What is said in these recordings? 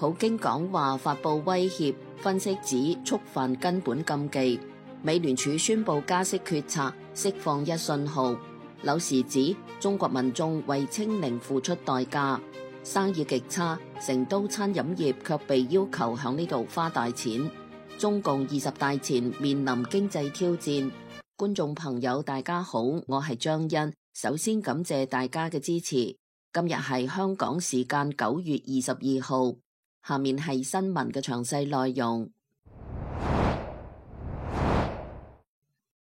普京講話發布威脅，分析指觸犯根本禁忌。美聯儲宣布加息決策，釋放一信號。柳時指中國民眾為清零付出代價，生意極差，成都餐飲業卻被要求響呢度花大錢。中共20大前面臨經濟挑戰。觀眾朋友大家好，我係張欣，首先感謝大家嘅支持。今日係香港時間9月22號，下面係新聞嘅詳細內容。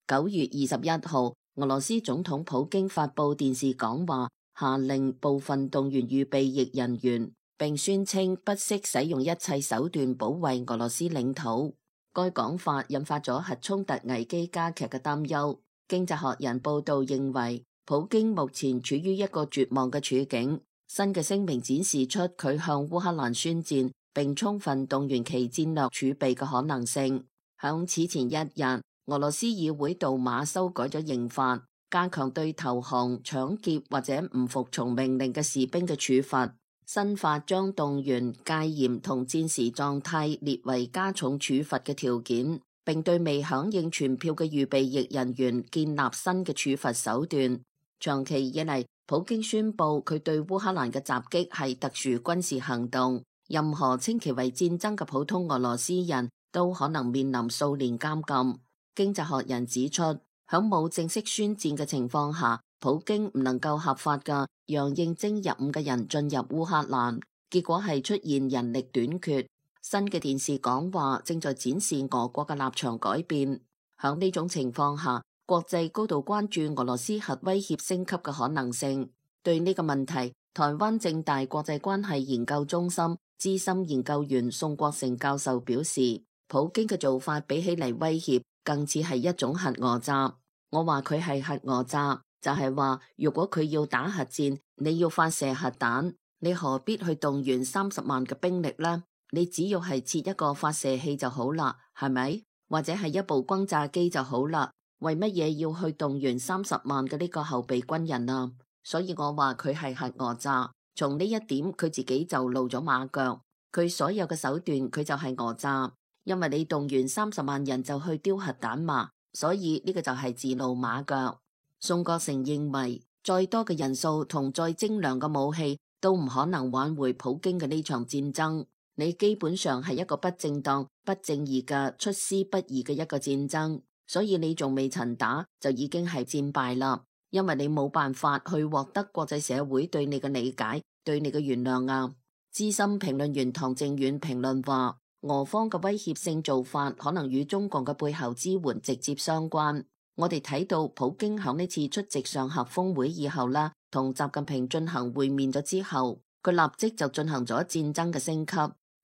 9月21號，俄羅斯總統普京發布電視講話，下令部分動員預備役人員，並宣稱不惜使用一切手段保衛俄羅斯領土。該講法引發咗核衝突危機加劇嘅擔憂。經濟學人報道認為，普京目前處於一個絕望嘅處境。新嘅聲明展示出佢向烏克蘭宣戰，並充分動員其戰略儲備嘅可能性。響此前一日，俄羅斯議會杜馬修改咗刑法，加強對投降、搶劫或者唔服從命令嘅士兵嘅處罰。新法將動員、戒嚴同戰時狀態列為加重處罰嘅條件，並對未響應傳票嘅預備役人員建立新嘅處罰手段。長期以嚟，普京宣布佢對烏克蘭嘅襲擊係特殊軍事行動，任何稱其為戰爭嘅普通俄羅斯人都可能面臨數年監禁。經濟學人指出，響冇正式宣戰嘅情況下，普京唔能夠合法嘅讓應徵入伍嘅人進入烏克蘭，結果係出現人力短缺。新嘅電視講話正在展示俄國嘅立場改變。響呢種情況下，國際高度關注俄羅斯核威脅升級嘅可能性。對呢個問題，台灣政大國際關係研究中心資深研究員宋國成教授表示，普京嘅做法比起嚟威脅，更似係一種核訛詐。我話佢係核訛詐，就係話如果佢要打核戰，你要發射核彈，你何必去動員30萬嘅兵力呢？你只要係設一個發射器就好啦，係咪？或者係一部轟炸機就好啦。為乜嘢要去動員30萬嘅呢個後備軍人啊？所以我話佢係核訛詐。從呢一點，佢自己就露咗馬腳。佢所有嘅手段，佢就係訛詐。因為你動員30萬人就去丟核彈嘛，所以呢個就係自露馬腳。宋國成認為，再多嘅人數同再精良嘅武器都唔可能挽回普京嘅呢場戰爭。你基本上係一個不正當、不正義嘅出師不意嘅一個戰爭。所以你仲未曾打就已經係戰敗啦，因為你冇辦法去獲得國際社會對你嘅理解、對你嘅原諒啊。資深評論員唐正遠評論話，俄方嘅威脅性做法可能與中共嘅背後支援直接相關。我哋睇到普京響呢次出席上合峰會以後啦，同習近平進行會面咗之後，佢立即就進行咗戰爭嘅升級。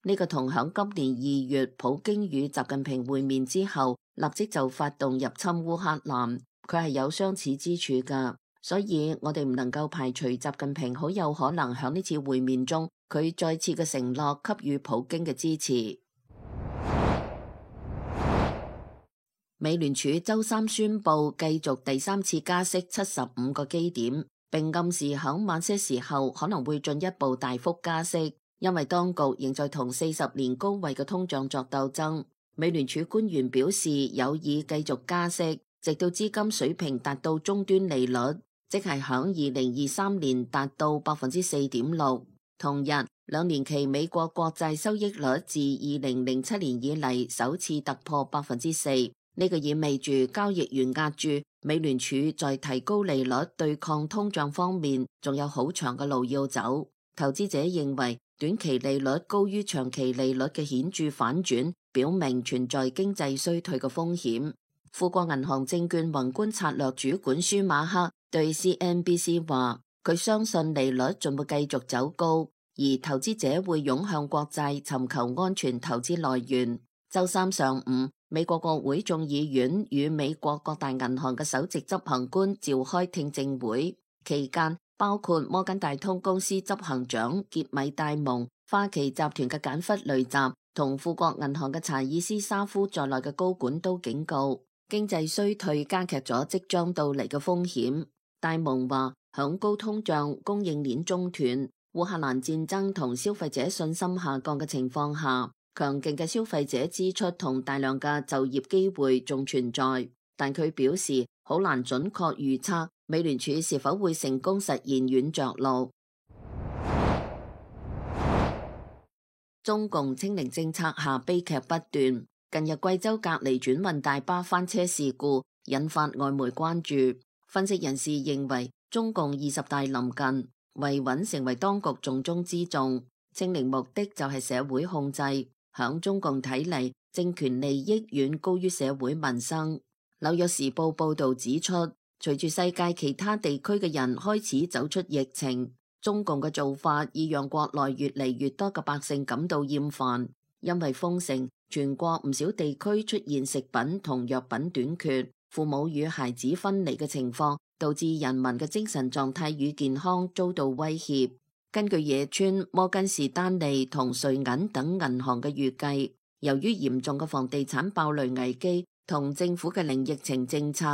呢個同響今年2月普京與習近平會面之後，立即就發動入侵烏克蘭，佢係有相似之處㗎。所以我哋唔能夠排除習近平好有可能響呢次會面中，佢再次嘅承諾給予普京嘅支持。美聯儲周三宣布繼續第3次加息75個基點，並暗示響晚些時候可能會進一步大幅加息。因為當局仍在同40年高位嘅通脹作鬥爭，美聯儲官員表示有意繼續加息，直到資金水平達到終端利率，即係響2023年達到 4.6%。同日，2年期美國國債收益率自2007年以嚟首次突破 4%。呢個意味住交易員壓住美聯儲在提高利率對抗通脹方面仲有好長嘅路要走。投資者認為，短期利率高於長期利率嘅顯著反轉，表明存在經濟衰退嘅風險。富國銀行證券宏觀策略主管舒馬克對 CNBC 話，佢相信利率仲會繼續走高，而投資者會湧向國債尋求安全投資來源。周三上午，美國國會眾議院與美國各大銀行嘅首席執行官召開聽證會，期間包括摩根大通公司執行長傑米戴蒙、花旗集團嘅簡弗雷澤同富國銀行嘅查爾斯沙夫在內嘅高管都警告，經濟衰退加劇咗即將到嚟嘅風險。戴蒙話，響高通脹、供應鏈中斷、烏克蘭戰爭同消費者信心下降嘅情況下，強勁嘅消費者支出同大量嘅就業機會仲存在，但佢表示好難準確預測美聯儲是否會成功實現軟着陸。中共清零政策下悲劇不斷，近日貴州隔離轉運大巴翻車事故引發外媒關注。分析人士認為，中共20大臨近，維穩成為當局重中之重。清零目的就係社會控制，響中共睇嚟，政權利益遠高於社會民生。紐約時報報道指出，隨住世界其他地區嘅人開始走出疫情，中共嘅做法已讓國內越嚟越多嘅百姓感到厭煩。因為封城，全國唔少地區出現食品同藥品短缺，父母與孩子分離嘅情況，導致人民嘅精神狀態與健康遭到威脅。根據野村、摩根士丹利同瑞銀等銀行嘅預計，由於嚴重嘅房地產爆雷危機同政府嘅零疫情政策，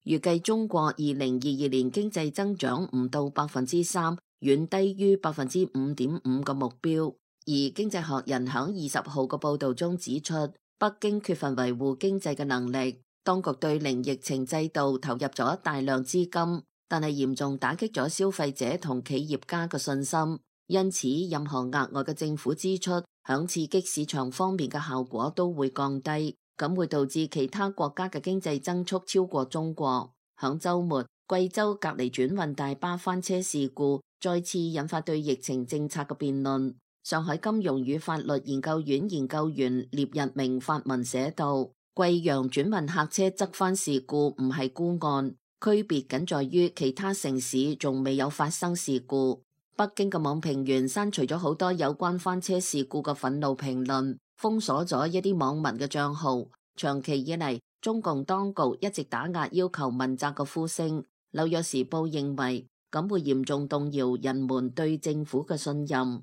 預計中國2022年經濟增長唔到3%，遠低於5.5%嘅目標。而經濟學人響20號嘅報導中指出，北京缺乏維護經濟嘅能力，當局對零疫情制度投入咗大量資金，但係嚴重打擊咗消費者同企業家嘅信心，因此任何額外嘅政府支出響刺激市場方面嘅效果都會降低，咁會導致其他國家嘅經濟增速超過中國。響週末，貴州隔離轉運大巴翻車事故再次引發對疫情政策嘅辯論。上海金融與法律研究院研究員聶日明發文寫道，貴陽轉運客車側翻事故唔係孤案，區別僅在於其他城市仲未有發生事故。北京嘅網評員刪除咗好多有關翻車事故嘅憤怒評論，封鎖咗一啲網民嘅賬號。長期以嚟，中共當局一直打壓要求問責嘅呼聲。紐約時報認為，咁會嚴重動搖人們對政府嘅信任。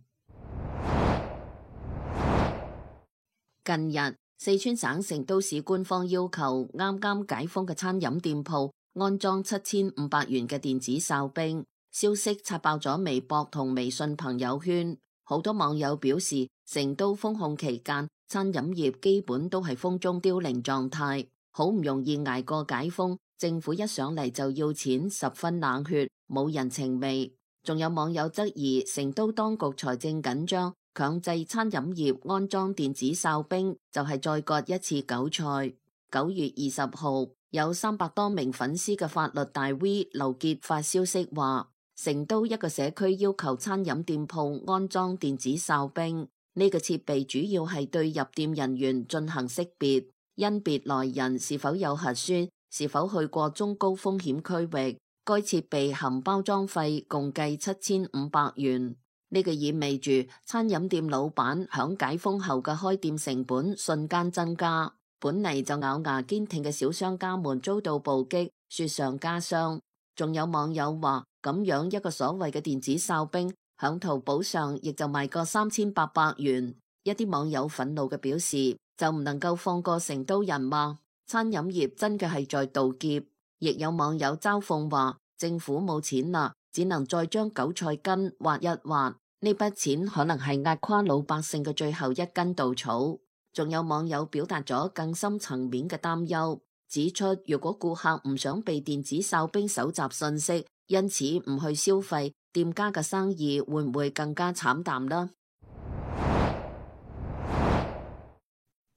近日，四川省成都市官方要求啱啱解封嘅餐飲店鋪安裝7500元嘅電子哨兵，消息刷爆咗微博同微信朋友圈。好多網友表示，成都封控期間，餐飲業基本都係風中凋零狀態，好唔容易捱過解封，政府一上嚟就要錢，十分冷血，冇人情味。仲有網友質疑成都當局財政緊張，強制餐飲業安裝電子哨兵就係再割一次韭菜。9月20號，有300多名粉絲嘅法律大 V 劉傑發消息話，成都一個社區要求餐飲店鋪安裝電子哨兵，呢個設備主要係對入店人員進行識別，甄別來人是否有核酸，是否去過中高風險區域。該設備含包裝費共計7500元。呢個意味住餐飲店老闆響解封後嘅開店成本瞬間增加，本嚟就咬牙堅挺嘅小商家們遭到暴擊，雪上加霜。仲有網友話，咁樣一個所謂嘅電子哨兵響淘寶上亦就賣個3800元。一啲網友憤怒嘅表示，就唔能夠放過成都人嗎？餐飲業真嘅係在盜劫。亦有網友嘲諷話，政府冇錢啦，只能再將韭菜根挖一挖，呢筆錢可能係壓垮老百姓嘅最後一根稻草。仲有網友表達咗更深層面嘅擔憂，指出如果顧客唔想被電子哨兵搜集信息，因此唔去消費，店家嘅生意會唔會更加慘淡呢？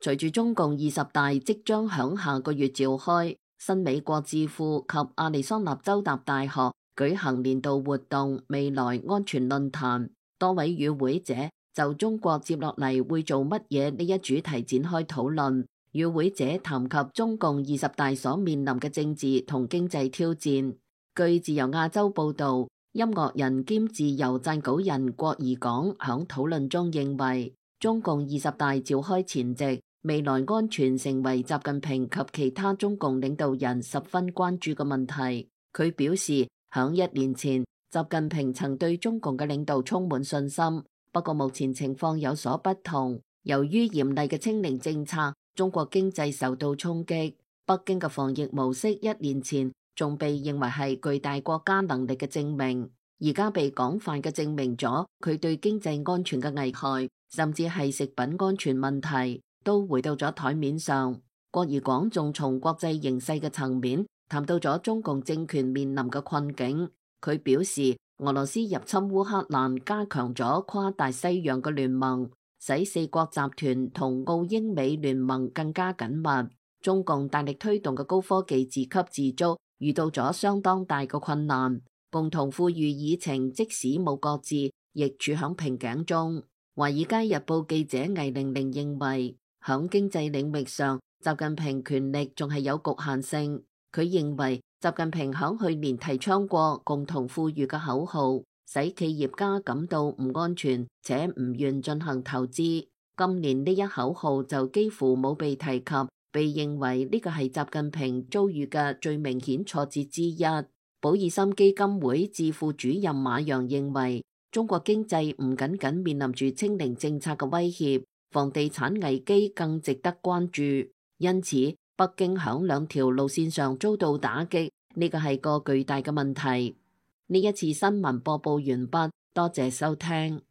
隨住中共20大即將響下個月召開，新美國智庫及亞利桑那州立大學舉行年度活動未來安全論壇，多位與會者就中國接落嚟會做乜嘢呢一主題展開討論。與會者談及中共20大所面臨嘅政治同經濟挑戰。據自由亞洲報導，音樂人兼自由撰稿人郭怡廣響討論中認為，中共20大召開前夕，未來安全成為習近平及其他中共領導人十分關注嘅問題。佢表示，響1年前，習近平曾對中共嘅領導充滿信心，不過目前情況有所不同。由於嚴厲嘅清零政策，中國經濟受到衝擊。北京嘅防疫模式1年前仲被認為係巨大國家能力嘅證明。而家被廣泛嘅證明咗佢對經濟安全嘅危害，甚至係食品安全問題，都回到咗台面上。郭怡廣仲從國際形勢嘅層面談到咗中共政權面臨嘅困境。佢表示，俄羅斯入侵烏克蘭加強咗跨大西洋嘅聯盟，使四國集團同澳英美聯盟更加緊密。中共大力推動嘅高科技自給自足遇到咗相當大嘅困難，共同富裕議程即使冇擱置，亦處響瓶頸中。華爾街日報記者魏玲玲認為，響經濟領域上，習近平權力仲係有局限性。佢認為習近平響去年提倡過共同富裕嘅口號，使企業家感到唔安全且唔願進行投資。今年呢一口號就幾乎冇被提及，被認為呢個係習近平遭遇嘅最明顯挫折之一。保爾森基金會智庫主任馬洋認為，中國經濟唔僅僅面臨住清零政策嘅威脅，房地產危機更值得關注。因此，北京響兩條路線上遭到打擊，呢個係個巨大嘅問題。呢一次新聞播報完畢，多謝收聽。